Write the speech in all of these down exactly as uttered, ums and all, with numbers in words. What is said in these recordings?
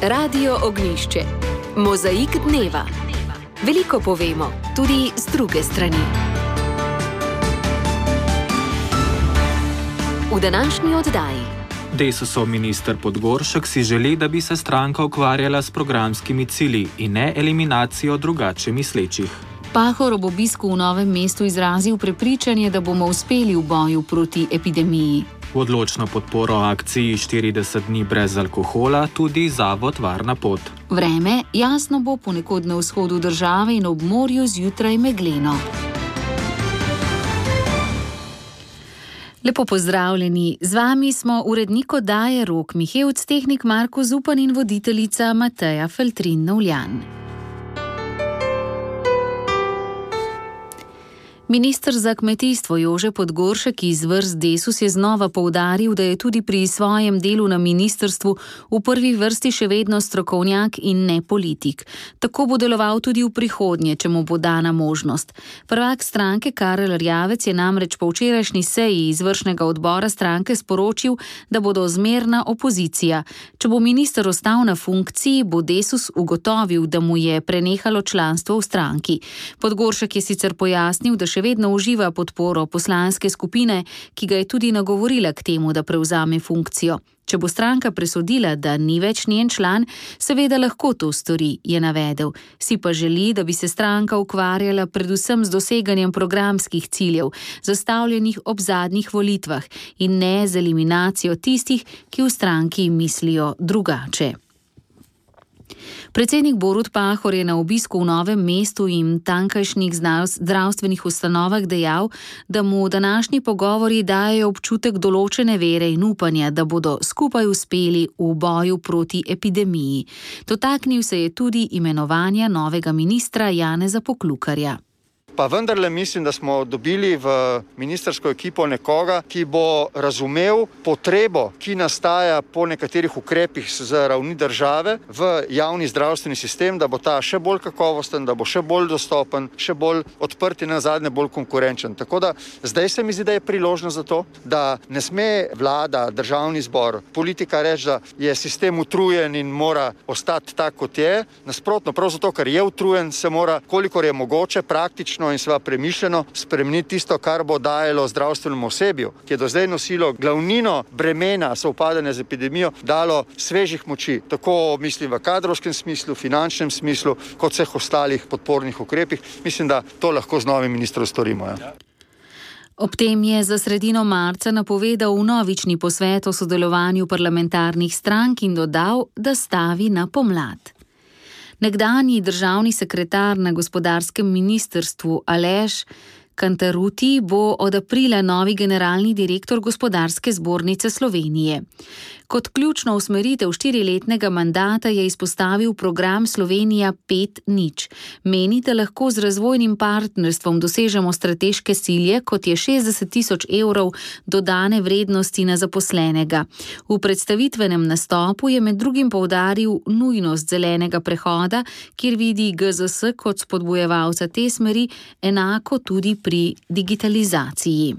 Radio Ognjišče. Mozaik dneva. Veliko povemo, tudi z druge strani. V današnji oddaji. Desusov minister Podgoršek si želi, da bi se stranka ukvarjala s programskimi cilji in ne eliminacijo drugače mislečih. Pahor ob obisku v Novem mestu izrazil prepričanje, da bomo uspeli v boju proti epidemiji. V odločno podporo akciji štirideset dni brez alkohola tudi zavod Varna pot. Vreme jasno bo ponekod na vzhodu države in ob morju zjutraj megleno. Lepo pozdravljeni, z vami smo urednik oddaje Rok Mihevc, tehnik Marko Zupan in voditeljica Mateja Feltrin-Novljan. Minister za kmetijstvo Jože Podgoršek iz vrst Desus je znova poudaril, da je tudi pri svojem delu na ministrstvu v prvi vrsti še vedno strokovnjak in ne politik. Tako bo deloval tudi v prihodnje, če mu bo dana možnost. Prvak stranke Karel Erjavec je namreč po včerajšnji seji izvršnega odbora stranke sporočil, da bodo zmerna opozicija. Če bo minister ostal na funkciji, bo Desus ugotovil, da mu je prenehalo članstvo v stranki. Podgoršek je sicer pojasnil, da še vedno uživa podporo poslanske skupine, ki ga je tudi nagovorila k temu, da prevzame funkcijo. Če bo stranka presodila, da ni več njen član, seveda lahko to stori, je navedel. Si pa želi, da bi se stranka ukvarjala predvsem z doseganjem programskih ciljev, zastavljenih ob zadnjih volitvah, in ne z eliminacijo tistih, ki v stranki mislijo drugače. Predsednik Borut Pahor je na obisku v Novem mestu in tankajšnjih zdravstvenih ustanovah dejal, da mu današnji pogovori dajejo občutek določene vere in upanja, da bodo skupaj uspeli v boju proti epidemiji. Dotaknil se je tudi imenovanja novega ministra Janeza Poklukarja. Pa vendarle mislim, da smo dobili v ministrsko ekipo nekoga, ki bo razumel potrebo, ki nastaja po nekaterih ukrepih z ravni države v javni zdravstveni sistem, da bo ta še bolj kakovosten, da bo še bolj dostopen, še bolj odprt in nazadnje bolj konkurenčen. Tako da zdaj se mi zdi, da je priložnost za to, da ne sme vlada, državni zbor, politika reči, da je sistem utrujen in mora ostati tak, kot je. Nasprotno, prav zato, ker je utrujen, se mora, kolikor je mogoče, praktično in sva premišljeno spremeniti tisto, kar bo dajalo zdravstvenemu osebju, ki je do zdaj nosilo glavnino bremena sovpadanja z epidemijo, dalo svežih moči, tako mislim v kadrovskem smislu, finančnem smislu, kot vseh ostalih podpornih ukrepih. Mislim, da to lahko z novim ministrom storimo. Ja. Ob tem je za sredino marca napovedal vnovični posvet o sodelovanju parlamentarnih strank in dodal, da stavi na pomlad. Nekdanji državni sekretar na gospodarskem ministrstvu Aleš Kantaruti bo od aprila novi generalni direktor Gospodarske zbornice Slovenije. Kot ključno usmeritev štiriletnega mandata je izpostavil program Slovenija pet nič. Meni, da lahko z razvojnim partnerstvom dosežemo strateške cilje, kot je šestdeset tisoč evrov dodane vrednosti na zaposlenega. V predstavitvenem nastopu je med drugim poudaril nujnost zelenega prehoda, kjer vidi G Z S kot spodbujevalca te smeri, enako tudi pri digitalizaciji.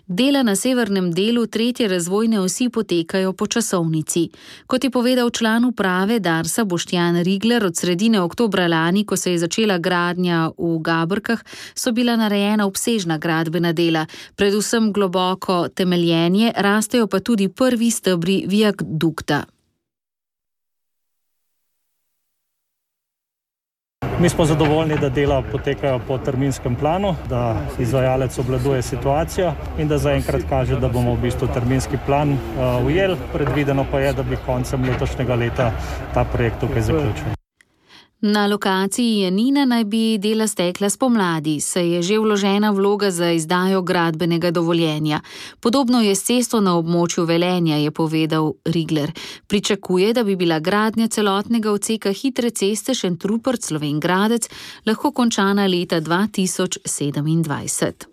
Dela na severnem delu tretje razvojne osi potekajo po časovnici. Kot je povedal član uprave Darsa Boštjan Rigler, od sredine oktobra lani, ko se je začela gradnja v Gabrkah, so bila narejena obsežna gradbena dela, predvsem globoko temeljenje, rastejo pa tudi prvi stebri viadukta. Mi smo zadovoljni, da dela potekajo po terminskem planu, da izvajalec obvladuje situacijo in da zaenkrat kaže, da bomo v bistvu terminski plan uh, ujeli. Predvideno pa je, da bi koncem letošnjega leta ta projekt tukaj zaključili. Na lokaciji Janina naj bi dela stekla spomladi, saj je že vložena vloga za izdajo gradbenega dovoljenja. Podobno je s cesto na območju Velenja, je povedal Rigler. Pričakuje, da bi bila gradnja celotnega odseka hitre ceste Šentrupert-Slovenj Gradec lahko končana leta dva tisoč sedemindvajset.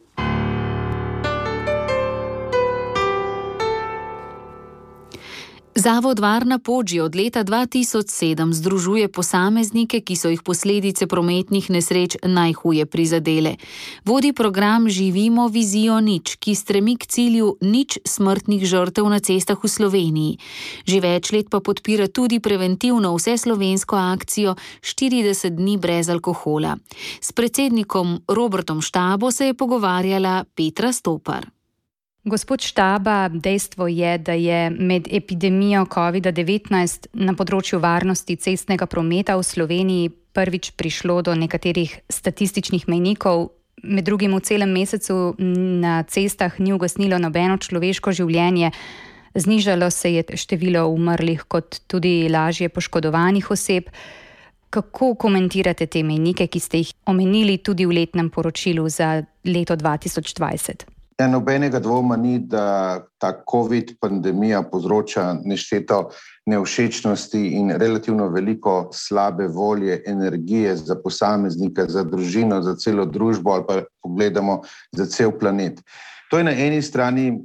Zavod Varna pot že od leta dva tisoč sedem združuje posameznike, ki so jih posledice prometnih nesreč najhuje prizadele. Vodi program Živimo vizijo nič, ki stremi k cilju nič smrtnih žrtev na cestah v Sloveniji. Že več let pa podpira tudi preventivno vseslovensko akcijo štirideset dni brez alkohola. S predsednikom Robertom Štabo se je pogovarjala Petra Stopar. Gospod Štaba, dejstvo je, da je med epidemijo covida devetnajst na področju varnosti cestnega prometa v Sloveniji prvič prišlo do nekaterih statističnih mejnikov. Med drugim v celem mesecu na cestah ni ugasnilo nobeno človeško življenje. Znižalo se je število umrlih kot tudi lažje poškodovanih oseb. Kako komentirate te mejnike, ki ste jih omenili tudi v letnem poročilu za leto dva tisoč dvajset? Ja, nobenega dvoma ni, da ta COVID pandemija povzroča nešteto nevšečnosti in relativno veliko slabe volje, energije za posameznika, za družino, za celo družbo ali pa pogledamo za cel planet. To je na eni strani,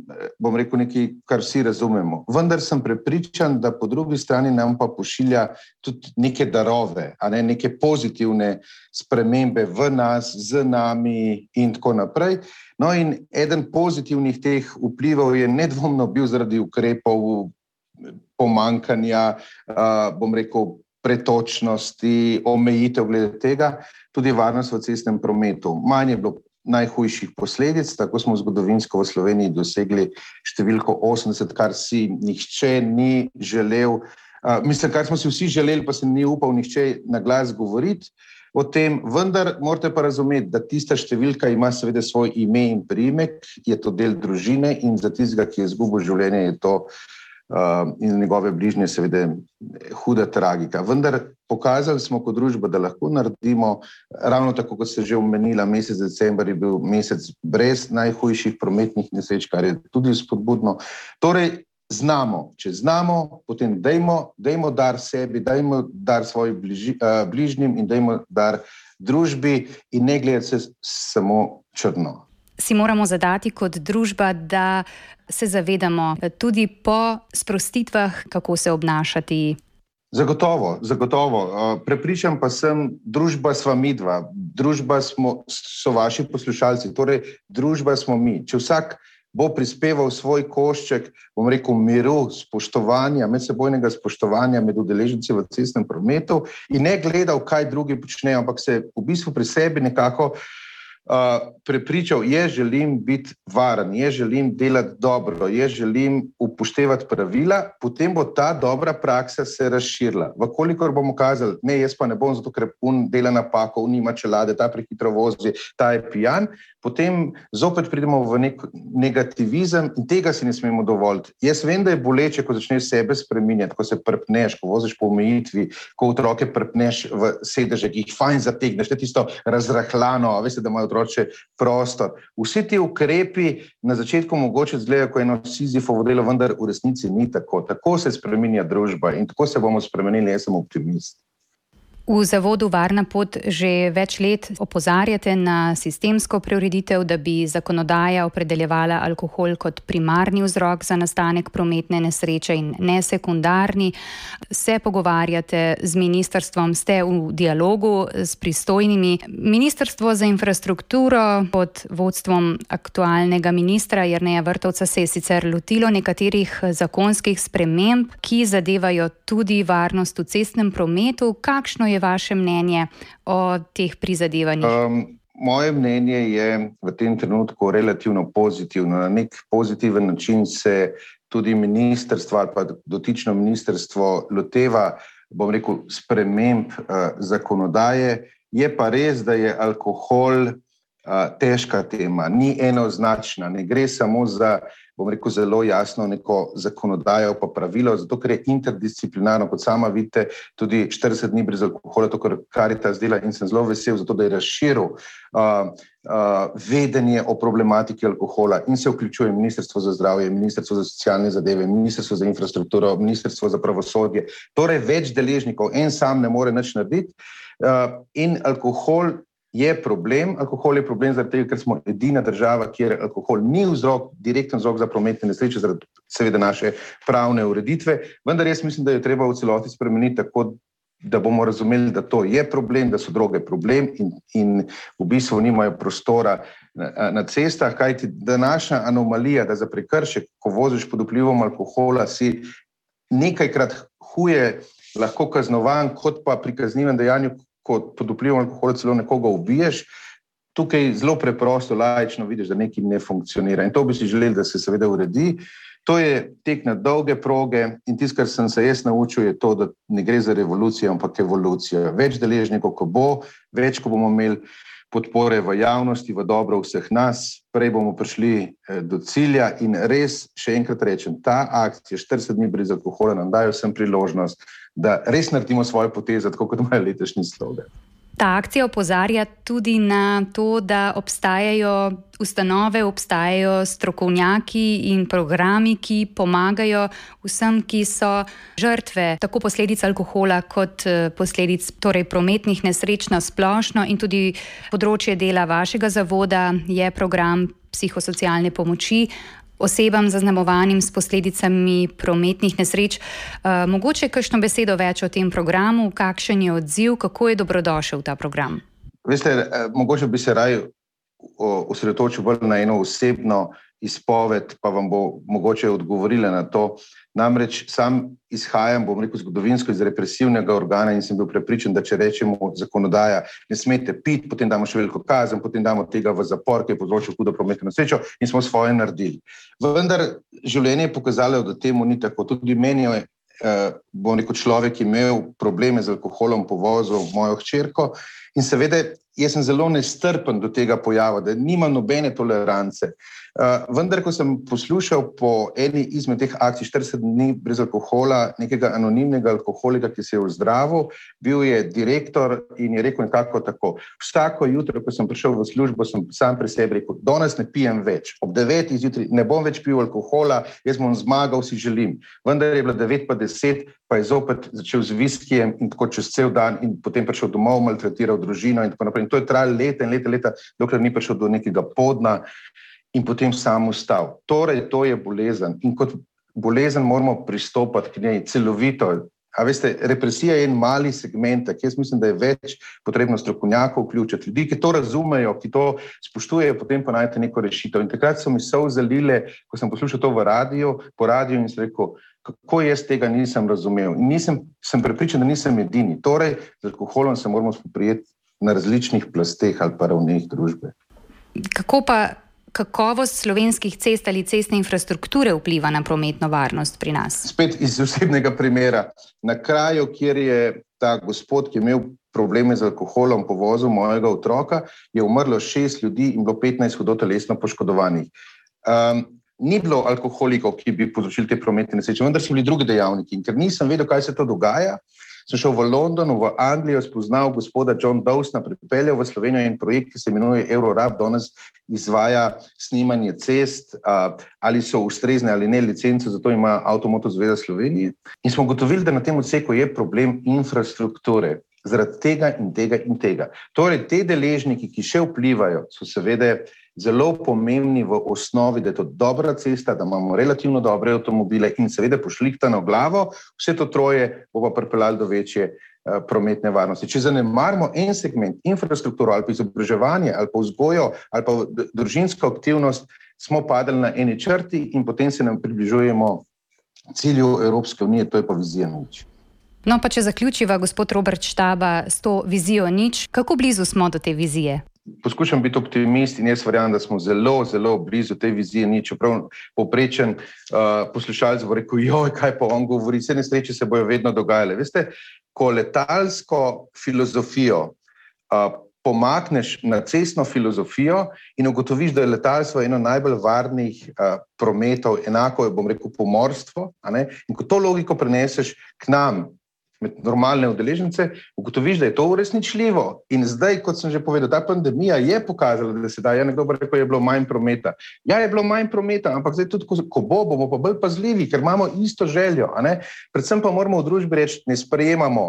bom rekel, nekaj, kar vsi razumemo. Vendar sem prepričan, da po drugi strani nam pa pošilja tudi neke darove, a ne neke pozitivne spremembe v nas, z nami in tako naprej. No in eden pozitivnih teh vplivov je nedvomno bil zaradi ukrepov pomankanja, bom rekel, pretočnosti, omejitev glede tega, tudi varnost v cestnem prometu. Manj je bilo najhujših posledic, tako smo zgodovinsko v Sloveniji dosegli številko osemdeset, kar si nihče ni želel, mislim, kar smo si vsi želeli, pa se ni upal nihče na glas govoriti o tem, vendar morate pa razumeti, da tista številka ima seveda svoj ime in priimek, je to del družine in za tistega, ki je izgubil življenje, je to uh, in njegove bližnje seveda huda tragika. Vendar pokazali smo kot družba, da lahko naredimo, ravno tako, kot ste že omenila, mesec december je bil mesec brez najhujših prometnih nesreč, kar je tudi spodbudno. Torej, znamo, če znamo, potem dajmo, dajmo dar sebi, dajmo dar svojim bliži, uh, bližnjim in dajmo dar družbi in ne gledati se samo črno. Si moramo zadati kot družba, da se zavedamo tudi po sprostitvah, kako se obnašati. Zagotovo, zagotovo. Prepričan pa sem, družba sva midva, družba smo, so vaši poslušalci, torej družba smo mi. Če vsak bo prispeval svoj košček, bom rekel, miru, spoštovanja, medsebojnega spoštovanja med udeleženci v cestnem prometu in ne gledal, kaj drugi počnejo, ampak se v bistvu pri sebi nekako uh, prepričal, jaz želim biti varen, jaz želim delati dobro, jaz želim upoštevati pravila, potem bo ta dobra praksa se razširila. Vkolikor bomo kazali, ne, jaz pa ne bom, zato ker un dela napako, un nima čelade, ta prehitro vozi, ta je pijan, potem zopet pridemo v nek negativizem in tega si ne smemo dovoliti. Jaz vem, da je boleče, ko začneš sebe spreminjati, ko se prpneš, ko voziš po omejitvi, ko otroke prpneš v sedeže, ki jih fajn zategneš, to je tisto razrahljano, veste, da imajo otroče prostor. Vsi ti ukrepi na začetku mogoče izgledajo kot eno Sizifovo delo, vendar v resnici ni tako. Tako se spreminja družba in tako se bomo spremenili, jaz sem optimist. V zavodu Varna pot že več let opozarjate na sistemsko preureditev, da bi zakonodaja opredeljevala alkohol kot primarni vzrok za nastanek prometne nesreče in ne sekundarni. Se pogovarjate z ministrstvom, ste v dialogu s pristojnimi. Ministrstvo za infrastrukturo pod vodstvom aktualnega ministra Jerneja Vrtovca se je sicer lotilo nekaterih zakonskih sprememb, ki zadevajo tudi varnost v cestnem prometu. Kakšno je vaše mnenje o teh prizadevanjih? Um, moje mnenje je v tem trenutku relativno pozitivno. Na nek pozitiven način se tudi ministrstvo ali pa dotično ministrstvo loteva, bom rekel, sprememb uh, zakonodaje. Je pa res, da je alkohol uh, težka tema, ni enoznačna, ne gre samo za, bom rekel, zelo jasno neko zakonodajo pa pravilo, zato ker je interdisciplinarno, kot sama vidite, tudi štirideset dni brez alkohola, to kar Karitas dela in sem zelo vesel zato, da je razširil uh, uh, vedenje o problematiki alkohola in se vključuje Ministrstvo za zdravje, Ministrstvo za socialne zadeve, Ministrstvo za infrastrukturo, Ministrstvo za pravosodje, torej več deležnikov, en sam ne more nič narediti uh, in alkohol je problem, alkohol je problem zaradi tega, ker smo edina država, kjer alkohol ni vzrok, direkten vzrok za prometne nesreče, zaradi seveda naše pravne ureditve, vendar jaz mislim, da jo treba v celoti spremeniti tako, da bomo razumeli, da to je problem, da so droge problem in, in v bistvu nimajo prostora na, na cestah, kajti današnja anomalija, da za prekršek, ko voziš pod vplivom alkohola, si nekajkrat huje lahko kaznovan, kot pa pri kaznivem dejanju, ko pod vplivom alkohola celo nekoga ubiješ, tukaj zelo preprosto, laično vidiš, da nekaj ne funkcionira. In to bi si želeli, da se seveda uredi. To je tek na dolge proge in tisto, kar sem se jaz naučil, je to, da ne gre za revolucijo, ampak evolucijo. Več deležnikov, ko bo, več, ko bomo imeli podpore v javnosti, v dobro vseh nas, prej bomo prišli do cilja in res, še enkrat rečem, ta akcija štirideset dni brez alkohola nam dajo vsem priložnost, da res naredimo svoje poteze, tako kot imajo letošnji slogan. Ta akcija opozarja tudi na to, da obstajajo ustanove, obstajajo strokovnjaki in programi, ki pomagajo vsem, ki so žrtve tako posledic alkohola kot posledic torej prometnih nesreč na splošno, in tudi področje dela vašega zavoda je program psihosocialne pomoči osebam zaznamovanim s posledicami prometnih nesreč. Uh, mogoče kakšno besedo več o tem programu, kakšen je odziv, kako je dobrodošel ta program? Veste, mogoče bi se raj osredotočil bolj na eno osebno izpoved, pa vam bo mogoče odgovorila na to. Namreč sam izhajam, bom rekel, zgodovinsko iz represivnega organa in sem bil prepričan, da če rečemo zakonodaja, ne smete piti, potem damo še veliko kazen, potem damo tega v zapor, ki je povzročil hudo prometno nesrečo, in smo svoje naredili. Vendar življenje je pokazalo, da temu ni tako. Tudi meni je, eh, bom rekel, človek imel probleme z alkoholom, povozil mojo hčerko in seveda jaz sem zelo nestrpen do tega pojava, da nima nobene tolerance. Uh, vendar, ko sem poslušal po eni izmed teh akcij štirideset dni brez alkohola nekega anonimnega alkoholika, ki se je ozdravil, bil je direktor in je rekel nekako tako: vsako jutro, ko sem prišel v službo, sem sam pri sebi rekel, danes ne pijem več, ob devetih zjutraj ne bom več pil alkohola, jaz bom zmagal, si želim. Vendar je bilo devet pa deset, pa je zopet začel z viskijem in tako čez cel dan in potem prišel domov, maltretiral družino in tako naprej. In to je trajalo leta in leta, leta, dokler ni prišel do nekega podna in potem sam ustal. Torej, to je bolezen in kot bolezen moramo pristopati k njej celovito. A veste, represija je en mali segment, jaz mislim, da je več potrebno strokovnjakov vključiti, ljudi, ki to razumejo, ki to spoštujejo, potem pa najte neko rešitev. In takrat so mi solze zalile, ko sem poslušal to v radiju, po radiju in sem rekel, kako jaz tega nisem razumel. In nisem, sem prepričan, da nisem edini. Torej, z alkoholom se moramo spoprijeti na različnih plasteh ali pa ravneh družbe. Kako pa kakovost slovenskih cest ali cestne infrastrukture vpliva na prometno varnost pri nas? Spet iz osebnega primera. Na kraju, kjer je ta gospod, ki je imel probleme z alkoholom, povozil mojega otroka, je umrlo šest ljudi in bilo petnajst hudo telesno poškodovanih. Um, ni bilo alkoholikov, ki bi povzročili te prometne nesreče, vendar so bili drugi dejavniki. In ker nisem vedel, kaj se to dogaja, sem šel v Londonu, v Anglijo, spoznal gospoda John Dawsona, pripeljal v Slovenijo in projekt, ki se imenuje Eurorab, danes izvaja snimanje cest, a, ali so ustrezne ali ne licence, zato ima Avtomoto zveza Slovenije. In smo ugotovili, da na tem odseku je problem infrastrukture, zaradi tega in tega in tega. Torej, te deležniki, ki še vplivajo, so seveda zelo pomembni v osnovi, da je to dobra cesta, da imamo relativno dobre avtomobile in seveda pošlihtano glavo, vse to troje bo pa pripeljalo do večje uh, prometne varnosti. Če zanemarimo en segment, infrastrukturo ali pa izobraževanje ali pa vzgojo ali pa družinsko aktivnost, smo padali na eni črti in potem se nam približujemo cilju Evropske unije, to je pa vizija nič. No, pa če zaključiva, gospod Robert Štaba, s to vizijo nič, kako blizu smo do te vizije? Poskušam biti optimist in jaz verjamem, da smo zelo, zelo blizu te vizije nič. Čeprav povprečen uh, poslušalec bo rekel, joj, kaj pa on govori, vse nesreče se bojo vedno dogajale. Veste, ko letalsko filozofijo uh, pomakneš na cestno filozofijo in ugotoviš, da je letalstvo eno najbolj varnih uh, prometov, enako je, bom rekel, pomorstvo, a ne? In ko to logiko preneseš k nam, med normalne udeležence, ugotoviš, da je to uresničljivo. In zdaj, kot sem že povedal, ta pandemija je pokazala, da se da, ja, nekdo bo rekel, je bilo manj prometa. Ja, je bilo manj prometa, ampak zdaj tudi, ko, ko bo, bomo pa bolj pazljivi, ker imamo isto željo, a ne? Predvsem pa moramo v družbi reči, ne sprejemamo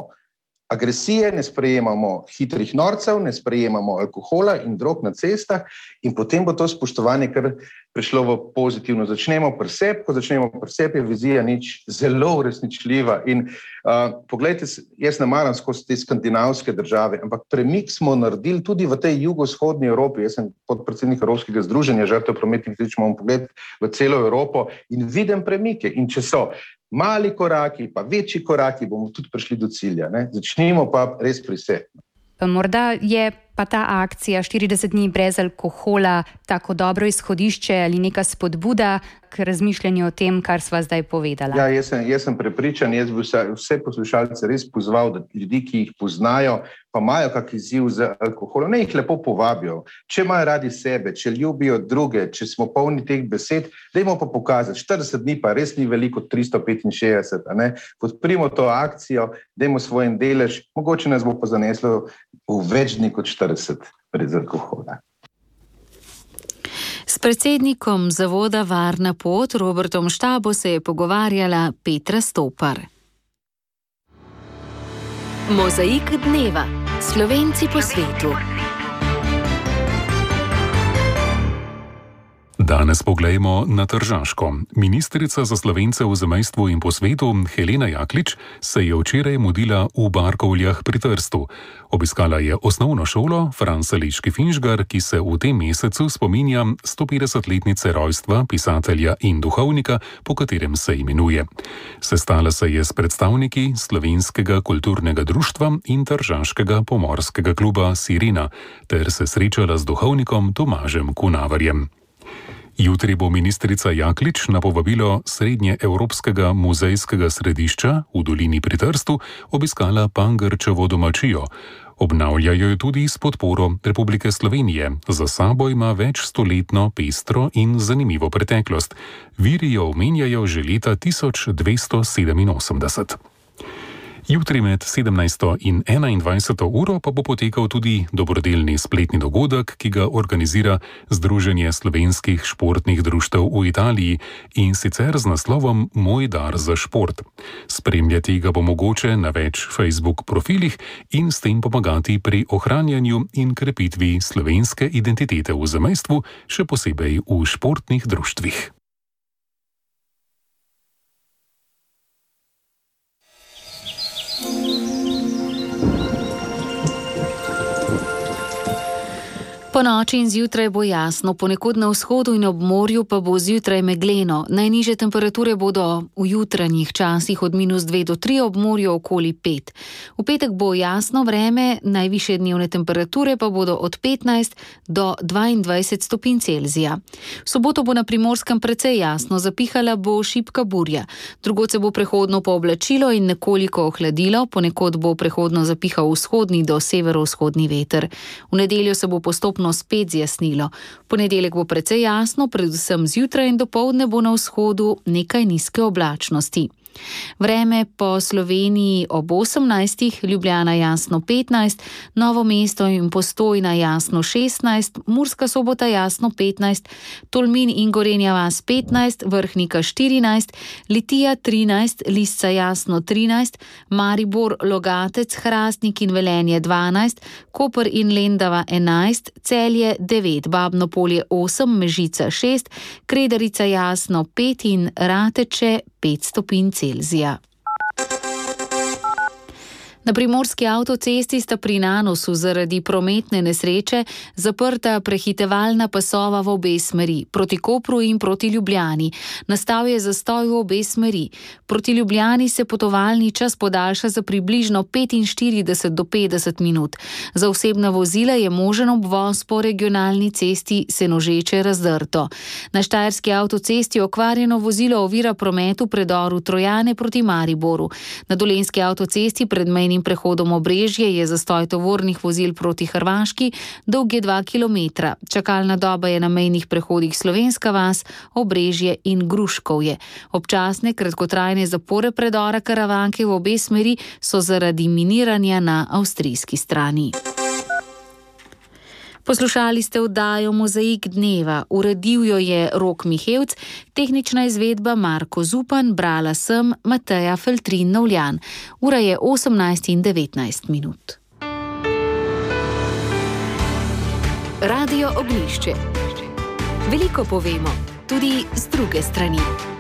agresije, ne sprejemamo hitrih norcev, ne sprejemamo alkohola in drog na cestah in potem bo to spoštovanje kar prišlo v pozitivno. Začnemo pri sebi, ko začnemo pri sebi, je vizija nič zelo uresničljiva. In uh, poglejte, jaz ne maram skozi te skandinavske države, ampak premik smo naredili tudi v tej jugovzhodni Evropi. Jaz sem podpredsednik Evropskega združenja žrtev prometnih nesreč, imamo pogled v celo Evropo in vidim premike. In če so mali koraki, pa večji koraki, bomo tudi prišli do cilja. Ne? Začnimo pa res pri sebi. Morda je pa ta akcija štirideset dni brez alkohola tako dobro izhodišče ali neka spodbuda k razmišljanju o tem, kar sva zdaj povedala. Ja, jaz sem, jaz sem prepričan, jaz bi vse, vse poslušalce res pozval, da ljudi, ki jih poznajo, pa imajo kak izziv z alkoholom, ne jih lepo povabijo. Če imajo radi sebe, če ljubijo druge, če smo polni teh besed, dajmo pa pokazati. štirideset dni pa res ni veliko, tristo petinšestdeset, a ne? Podprimo to akcijo, dajmo svoj delež, mogoče nas bo pa zaneslo v več dni kot štirideset brez alkohola. S predsednikom zavoda Varna pot Robertom Štabo se je pogovarjala Petra Stopar. Mozaik dneva. Slovenci po svetu. Danes poglejmo na Tržaško. Ministrica za Slovence v zamejstvu in po svetu Helena Jaklič se je včeraj mudila v Barkovljah pri Trstu. Obiskala je osnovno šolo Franz Sališki Finžgar, ki se v tem mesecu spominja stopetdesetletnice rojstva pisatelja in duhovnika, po katerem se imenuje. Sestala se je s predstavniki Slovenskega kulturnega društva in Tržaškega pomorskega kluba Sirena ter se srečala z duhovnikom Tomažem Kunavarjem. Jutri bo ministrica Jaklič na povabilo Srednjeevropskega muzejskega središča v dolini pri Trstu obiskala Pangrčevo domačijo. Obnavljajo jo tudi s podporo Republike Slovenije. Za sabo ima več stoletno pestro in zanimivo preteklost. Viri jo omenjajo že leta tisoč dvesto sedeminosemdeset. Jutri med sedemnajsto in enaindvajseto uro pa bo potekal tudi dobrodelni spletni dogodek, ki ga organizira Združenje slovenskih športnih društev v Italiji in sicer z naslovom Moj dar za šport. Spremljati ga bo mogoče na več Facebook profilih in s tem pomagati pri ohranjanju in krepitvi slovenske identitete v zamejstvu, še posebej v športnih društvih. Po noči in zjutraj bo jasno, ponekod na vzhodu in ob morju pa bo zjutraj megleno. Najnižje temperature bodo v jutranjih časih od minus dve do tri, ob morju okoli pet. V petek bo jasno vreme, najvišje dnevne temperature pa bodo od petnajst do dvaindvajset stopinj Celzija. V soboto bo na Primorskem precej jasno, zapihala bo šibka burja. Drugod se bo prehodno pooblačilo in nekoliko ohladilo, ponekod bo prehodno zapihal vzhodni do severovzhodni veter. V nedeljo se bo postopno spet zjasnilo. V ponedeljek bo precej jasno, predvsem zjutraj in dopoldne bo na vzhodu nekaj nizke oblačnosti. Vreme po Sloveniji ob osemnajstih, Ljubljana jasno petnajst, Novo mesto in Postojna jasno šestnajst, Murska Sobota jasno petnajst, Tolmin in Gorenja vas petnajst, Vrhnika štirinajst, Litija trinajst, Lisca jasno trinajst, Maribor, Logatec, Hrastnik in Velenje dvanajst, Koper in Lendava enajst, Celje devet, Babno Polje osem, Mežica šest, Kredarica jasno pet in Rateče pet stopinj Celzija. Na primorski avtocesti sta pri Nanosu zaradi prometne nesreče zaprta prehitevalna pasova v obe smeri, proti Kopru in proti Ljubljani. Nastal je zastoj v obe smeri. Proti Ljubljani se potovalni čas podaljša za približno petinštirideset do petdeset minut. Za osebna vozila je možen obvoz po regionalni cesti Senožeče-Razdrto. Na štajerski avtocesti okvarjeno vozilo ovira promet v predoru Trojane proti Mariboru. Na dolenjski avtocesti pred mejnim prehodom Obrežje je zastoj tovornih vozil proti Hrvaški, dolg je dva kilometra. Čakalna doba je na mejnih prehodih Slovenska vas, Obrežje in Gruškovje. Občasne kratkotrajne zapore predora Karavanke v obe smeri so zaradi miniranja na avstrijski strani. Poslušali ste oddajo Mozaik dneva, uredil jo je Rok Mihevc, tehnična izvedba Marko Zupan, brala sem Mateja Feltrin-Novljan. Ura je osemnajst in devetnajst minut. Radio Ognjišče. Veliko povemo, tudi z druge strani.